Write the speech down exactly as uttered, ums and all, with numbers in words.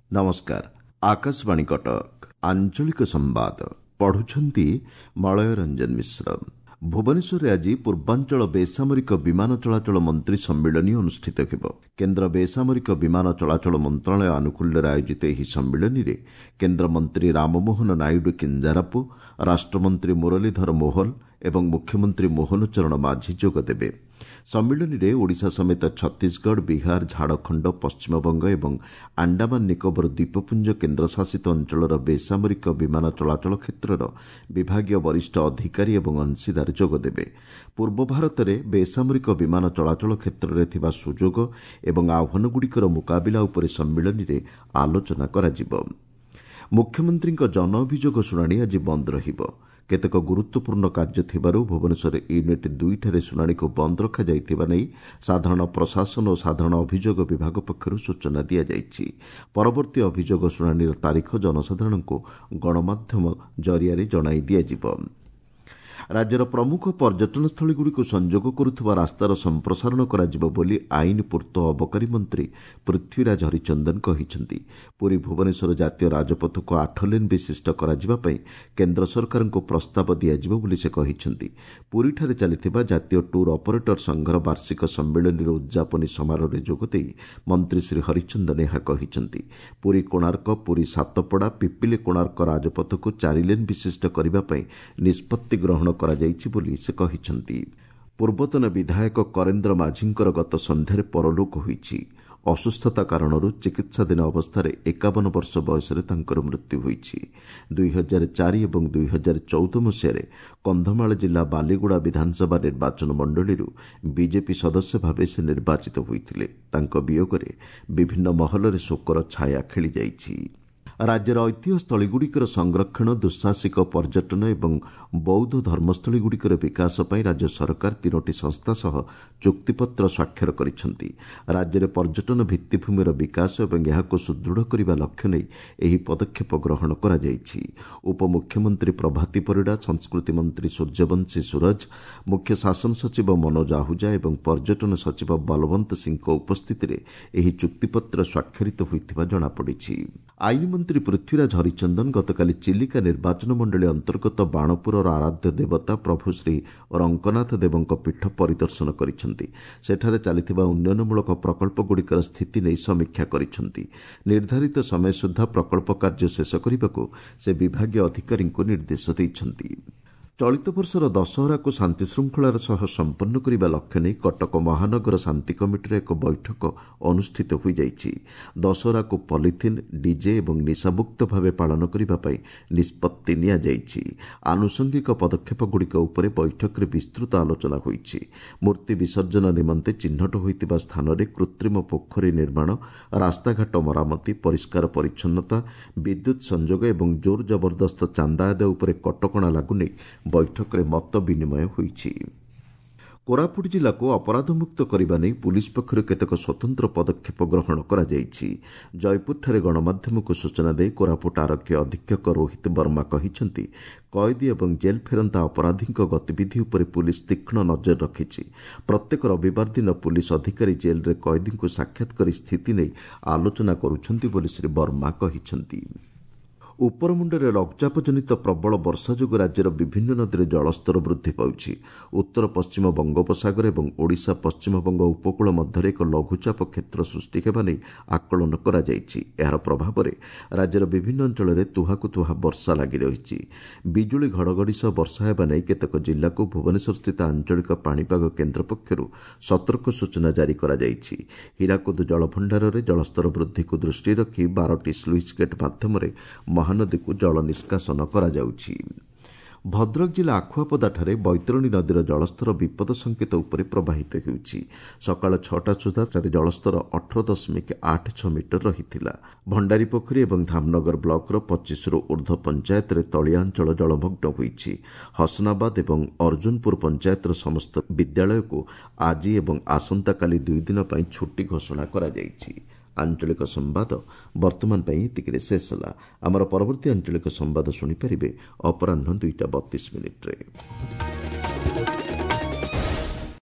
ନମସ୍କାର, ଆକାଶବାଣୀ କଟକ, ଆଞ୍ଚଳିକ ସମ୍ବାଦ ପଢୁଛନ୍ତି ମଳୟ ରଞ୍ଜନ ମିଶ୍ର। ଭୁବନେଶ୍ୱରରେ ଆଜି ପୂର୍ବାଞ୍ଚଳ ବେସାମରିକ ବିମାନ ଚଳାଚଳ ମନ୍ତ୍ରୀ ସମ୍ମିଳନୀ ଅନୁଷ୍ଠିତ ହେବ। କେନ୍ଦ୍ର ବେସାମରିକ ବିମାନ ଚଳାଚଳ ମନ୍ତ୍ରଣାଳୟ ଆନୁକୂଲ୍ୟରେ ଆୟୋଜିତ ଏହି ସମ୍ମିଳନୀରେ କେନ୍ଦ୍ରମନ୍ତ୍ରୀ ରାମମୋହନ ନାଇଡୁ କିଞ୍ଜାରାପୁ, ରାଷ୍ଟ୍ରମନ୍ତ୍ରୀ ମୁରଲୀଧର ମୋହଲ ଏବଂ ମୁଖ୍ୟମନ୍ତ୍ରୀ ମୋହନ ଚରଣ ମାଝୀ ଯୋଗଦେବେ। ସମ୍ମିଳନୀରେ ଓଡ଼ିଶା ସମେତ ଛତିଶଗଡ଼, ବିହାର, ଝାଡ଼ଖଣ୍ଡ, ପଶ୍ଚିମବଙ୍ଗ ଏବଂ ଆଣ୍ଡାମାନ ନିକୋବର ଦ୍ୱୀପପୁଞ୍ଜ କେନ୍ଦ୍ରଶାସିତ ଅଞ୍ଚଳର ବେସାମରିକ ବିମାନ ଚଳାଚଳ କ୍ଷେତ୍ରର ବିଭାଗୀୟ ବରିଷ୍ଠ ଅଧିକାରୀ ଏବଂ ଅଂଶୀଦାର ଯୋଗଦେବେ। ପୂର୍ବ ଭାରତରେ ବେସାମରିକ ବିମାନ ଚଳାଚଳ କ୍ଷେତ୍ରରେ ଥିବା ସୁଯୋଗ ଏବଂ ଆହ୍ୱାନଗୁଡ଼ିକର ମୁକାବିଲା ଉପରେ ସମ୍ମିଳନୀରେ ଆଲୋଚନା କରାଯିବ। ମୁଖ୍ୟମନ୍ତ୍ରୀଙ୍କ ଜନ ଅଭିଯୋଗ ଶୁଣାଣି ଆଜି ବନ୍ଦ ରହିବ। କେତେକ ଗୁରୁତ୍ୱପୂର୍ଣ୍ଣ କାର୍ଯ୍ୟ ଥିବାରୁ ଭୁବନେଶ୍ୱର ୟୁନିଟ୍ ଦୁଇଠାରେ ଶୁଣାଣିକୁ ବନ୍ଦ ରଖାଯାଇଥିବା ନେଇ ସାଧାରଣ ପ୍ରଶାସନ ଓ ସାଧାରଣ ଅଭିଯୋଗ ବିଭାଗ ପକ୍ଷରୁ ସୂଚନା ଦିଆଯାଇଛି। ପରବର୍ତ୍ତୀ ଅଭିଯୋଗ ଶୁଣାଣିର ତାରିଖ ଜନସାଧାରଣଙ୍କୁ ଗଣମାଧ୍ୟମ ଜରିଆରେ ଜଣାଇ ଦିଆଯିବ। ରାଜ୍ୟର ପ୍ରମୁଖ ପର୍ଯ୍ୟଟନସ୍ଥଳୀଗୁଡ଼ିକୁ ସଂଯୋଗ କରୁଥିବା ରାସ୍ତାର ସମ୍ପ୍ରସାରଣ କରାଯିବ ବୋଲି ଆଇନ, ପୂର୍ତ୍ତ ଓ ଅବକାରୀ ମନ୍ତ୍ରୀ ପୃଥ୍ୱୀରାଜ ହରିଚନ୍ଦନ କହିଛନ୍ତି। ପୁରୀ ଭୁବନେଶ୍ୱର ଜାତୀୟ ରାଜପଥକୁ ଆଠ ଲେନ୍ ବିଶିଷ୍ଟ କରାଯିବା ପାଇଁ କେନ୍ଦ୍ର ସରକାରଙ୍କୁ ପ୍ରସ୍ତାବ ଦିଆଯିବ ବୋଲି ସେ କହିଛନ୍ତି। ପୁରୀଠାରେ ଚାଲିଥିବା ଜାତୀୟ ଟୁର୍ ଅପରେଟର ସଂଘର ବାର୍ଷିକ ସମ୍ମିଳନୀର ଉଦ୍ଯାପନୀ ସମାରୋହରେ ଯୋଗଦେଇ ମନ୍ତ୍ରୀ ଶ୍ରୀ ହରିଚନ୍ଦନ ଏହା କହିଛନ୍ତି। ପୁରୀ କୋଣାର୍କ, ପୁରୀ ସାତପଡ଼ା, ପିପିଲି କୋଣାର୍କ ରାଜପଥକୁ ଚାରି ଲେନ୍ ବିଶିଷ୍ଟ କରିବା ପାଇଁ ନିଷ୍ପତ୍ତି ଗ୍ରହଣ କରାଯାଇଛି ବୋଲି ସେ କହିଛନ୍ତି। ପୂର୍ବତନ ବିଧାୟକ କରେନ୍ଦ୍ର ମାଝୀଙ୍କର ଗତ ସନ୍ଧ୍ୟାରେ ପରଲୋକ ହୋଇଛି। ଅସୁସ୍ଥତା କାରଣରୁ ଚିକିତ୍ସାଧୀନ ଅବସ୍ଥାରେ ଏକାବନ ବର୍ଷ ବୟସରେ ତାଙ୍କର ମୃତ୍ୟୁ ହୋଇଛି। ଦୁଇ ହଜାର ଚାରି ଏବଂ ଦୁଇ ହଜାର ଚଉଦ ମସିହାରେ କନ୍ଧମାଳ ଜିଲ୍ଲା ବାଲିଗୁଡ଼ା ବିଧାନସଭା ନିର୍ବାଚନ ମଣ୍ଡଳୀରୁ ବିଜେପି ସଦସ୍ୟ ଭାବେ ସେ ନିର୍ବାଚିତ ହୋଇଥିଲେ। ତାଙ୍କ ବିୟୋଗରେ ବିଭିନ୍ନ ମହଲରେ ଶୋକର ଛାୟା ଖେଳିଯାଇଛି। ରାଜ୍ୟର ଐତିହ୍ୟସ୍ଥଳୀଗୁଡ଼ିକର ସଂରକ୍ଷଣ, ଦୁଃସାହସିକ ପର୍ଯ୍ୟଟନ ଏବଂ ବୌଦ୍ଧ ଧର୍ମସ୍ଥଳୀଗୁଡ଼ିକର ବିକାଶ ପାଇଁ ରାଜ୍ୟ ସରକାର ତିନୋଟି ସଂସ୍ଥା ସହ ଚୁକ୍ତିପତ୍ର ସ୍ୱାକ୍ଷର କରିଛନ୍ତି। ରାଜ୍ୟରେ ପର୍ଯ୍ୟଟନ ଭିତ୍ତିଭୂମିର ବିକାଶ ଏବଂ ଏହାକୁ ସୁଦୃଢ଼ କରିବା ଲକ୍ଷ୍ୟ ନେଇ ଏହି ପଦକ୍ଷେପ ଗ୍ରହଣ କରାଯାଇଛି। ଉପମୁଖ୍ୟମନ୍ତ୍ରୀ ପ୍ରଭାତୀ ପରିଡ଼ା, ସଂସ୍କୃତି ମନ୍ତ୍ରୀ ସୂର୍ଯ୍ୟବଂଶୀ ସୂରଜ, ମୁଖ୍ୟ ଶାସନ ସଚିବ ମନୋଜ ଆହୁଜା ଏବଂ ପର୍ଯ୍ୟଟନ ସଚିବ ବଲବନ୍ତ ସିଂଙ୍କ ଉପସ୍ଥିତିରେ ଏହି ଚୁକ୍ତିପତ୍ର ସ୍ୱାକ୍ଷରିତ ହୋଇଥିବା ଜଣାପଡ଼ିଛି। ଆଇନ ମନ୍ତ୍ରୀ ପୃଥ୍ୱୀରାଜ ହରିଚନ୍ଦନ ଗତକାଲି ଚିଲିକା ନିର୍ବାଚନ ମଣ୍ଡଳୀ ଅନ୍ତର୍ଗତ ବାଣପୁରର ଆରାଧ୍ୟ ଦେବତା ପ୍ରଭୁ ଶ୍ରୀ ରଙ୍କନାଥ ଦେବଙ୍କ ପୀଠ ପରିଦର୍ଶନ କରିଛନ୍ତି। ସେଠାରେ ଚାଲିଥିବା ଉନ୍ନୟନମୂଳକ ପ୍ରକଳ୍ପଗୁଡ଼ିକର ସ୍ଥିତି ନେଇ ସମୀକ୍ଷା କରିଛନ୍ତି। ନିର୍ଦ୍ଧାରିତ ସମୟ ସୁଦ୍ଧା ପ୍ରକଳ୍ପ କାର୍ଯ୍ୟ ଶେଷ କରିବାକୁ ସେ ବିଭାଗୀୟ ଅଧିକାରୀଙ୍କୁ ନିର୍ଦ୍ଦେଶ ଦେଇଛନ୍ତି। ଚଳିତ ବର୍ଷର ଦଶହରାକୁ ଶାନ୍ତିଶୃଙ୍ଖଳାର ସହ ସମ୍ପନ୍ନ କରିବା ଲକ୍ଷ୍ୟ ନେଇ କଟକ ମହାନଗର ଶାନ୍ତି କମିଟିର ଏକ ବୈଠକ ଅନୁଷ୍ଠିତ ହୋଇଯାଇଛି। ଦଶହରାକୁ ପଲିଥିନ୍, ଡିଜେ ଏବଂ ନିଶାମୁକ୍ତ ଭାବେ ପାଳନ କରିବା ପାଇଁ ନିଷ୍ପତ୍ତି ନିଆଯାଇଛି। ଆନୁଷଙ୍ଗିକ ପଦକ୍ଷେପଗୁଡ଼ିକ ଉପରେ ବୈଠକରେ ବିସ୍ତୃତ ଆଲୋଚନା ହୋଇଛି। ମୂର୍ତ୍ତି ବିସର୍ଜନ ନିମନ୍ତେ ଚିହ୍ନଟ ହୋଇଥିବା ସ୍ଥାନରେ କୃତ୍ରିମ ପୋଖରୀ ନିର୍ମାଣ, ରାସ୍ତାଘାଟ ମରାମତି, ପରିଷ୍କାର ପରିଚ୍ଛନ୍ନତା, ବିଦ୍ୟୁତ୍ ସଂଯୋଗ ଏବଂ ଜୋର ଜବରଦସ୍ତ ଚାନ୍ଦା ଆଦାୟ ଉପରେ କଟକଣା ଲାଗୁ ନେଇ ବୈଠକରେ ମତ ବିନିମୟ ହୋଇଛି। କୋରାପୁଟ ଜିଲ୍ଲାକୁ ଅପରାଧମୁକ୍ତ କରିବା ନେଇ ପୁଲିସ୍ ପକ୍ଷରୁ କେତେକ ସ୍ୱତନ୍ତ୍ର ପଦକ୍ଷେପ ଗ୍ରହଣ କରାଯାଇଛି। ଜୟପୁରଠାରେ ଗଣମାଧ୍ୟମକୁ ସୂଚନା ଦେଇ କୋରାପୁଟ ଆରକ୍ଷୀ ଅଧୀକ୍ଷକ ରୋହିତ ବର୍ମା କହିଛନ୍ତି, କଏଦୀ ଏବଂ ଜେଲ୍ ଫେରନ୍ତା ଅପରାଧୀଙ୍କ ଗତିବିଧି ଉପରେ ପୁଲିସ୍ ତୀକ୍ଷ୍ଣ ନଜର ରଖିଛି। ପ୍ରତ୍ୟେକ ରବିବାର ଦିନ ପୁଲିସ୍ ଅଧିକାରୀ ଜେଲ୍ରେ କଏଦୀଙ୍କୁ ସାକ୍ଷାତ କରି ସ୍ଥିତି ନେଇ ଆଲୋଚନା କରୁଛନ୍ତି ବୋଲି ଶ୍ରୀ ବର୍ମା କହିଛନ୍ତି। ଉପରମୁଣ୍ଡରେ ଲଘୁଚାପଜନିତ ପ୍ରବଳ ବର୍ଷା ଯୋଗୁଁ ରାଜ୍ୟର ବିଭିନ୍ନ ନଦୀରେ ଜଳସ୍ତର ବୃଦ୍ଧି ପାଉଛି। ଉତ୍ତର ପଶ୍ଚିମ ବଙ୍ଗୋପସାଗର ଏବଂ ଓଡ଼ିଶା ପଶ୍ଚିମବଙ୍ଗ ଉପକୂଳ ମଧ୍ୟରେ ଏକ ଲଘୁଚାପ କ୍ଷେତ୍ର ସୃଷ୍ଟି ହେବା ନେଇ ଆକଳନ କରାଯାଇଛି। ଏହାର ପ୍ରଭାବରେ ରାଜ୍ୟର ବିଭିନ୍ନ ଅଞ୍ଚଳରେ ତୁହାକୁ ତୁହା ବର୍ଷା ଲାଗି ରହିଛି। ବିଜୁଳି ଘଡ଼ଘଡ଼ି ସହ ବର୍ଷା ହେବା ନେଇ କେତେକ ଜିଲ୍ଲାକୁ ଭୁବନେଶ୍ୱରସ୍ଥିତ ଆଞ୍ଚଳିକ ପାଣିପାଗ କେନ୍ଦ୍ର ପକ୍ଷରୁ ସତର୍କ ସୂଚନା ଜାରି କରାଯାଇଛି। ହୀରାକୁଦ ଜଳଭଣ୍ଡାରରେ ଜଳସ୍ତର ବୃଦ୍ଧିକୁ ଦୃଷ୍ଟିରେ ରଖି ବାରଟି ସ୍ଲୁଇସ୍ ଗେଟ୍ ମାଧ୍ୟମରେ ମହାନଦୀକୁ ଜଳ ନିଷ୍କାସନ କରାଯାଉଛି। ଭଦ୍ରକ ଜିଲ୍ଲା ଆଖୁଆପଦାଠାରେ ବୈତରଣୀ ନଦୀର ଜଳସ୍ତର ବିପଦ ସଙ୍କେତ ଉପରେ ପ୍ରବାହିତ ହେଉଛି। ସକାଳ ଛଅଟା ସୁଦ୍ଧା ସେଠାରେ ଜଳସ୍ତର ଅଠର ଦଶମିକ ଆଠ ଛଅ ମିଟର ରହିଥିଲା। ଭଣ୍ଡାରୀପୋଖରୀ ଏବଂ ଧାମନଗର ବ୍ଲକର ପଚିଶରୁ ଉର୍ଦ୍ଧ୍ୱ ପଞ୍ଚାୟତରେ ତଳିଆ ଅଞ୍ଚଳ ଜଳମଗ୍ନ ହୋଇଛି। ହସନାବାଦ ଏବଂ ଅର୍ଜୁନପୁର ପଞ୍ଚାୟତର ସମସ୍ତ ବିଦ୍ୟାଳୟକୁ ଆଜି ଏବଂ ଆସନ୍ତାକାଲି ଦୁଇ ଦିନ ପାଇଁ ଛୁଟି ଘୋଷଣା କରାଯାଇଛି। ଆଞ୍ଚଳିକ ସମ୍ବାଦ ବର୍ତ୍ତମାନ ପାଇଁ ଏତିକିରେ ଶେଷ ହେଲା। ଆମର ପରବର୍ତ୍ତୀ ଆଞ୍ଚଳିକ ସମ୍ବାଦ ଶୁଣିପାରିବେ ଅପରାହ୍ନ ଦୁଇଟା ବତିଶ ମିନିଟ୍ରେ।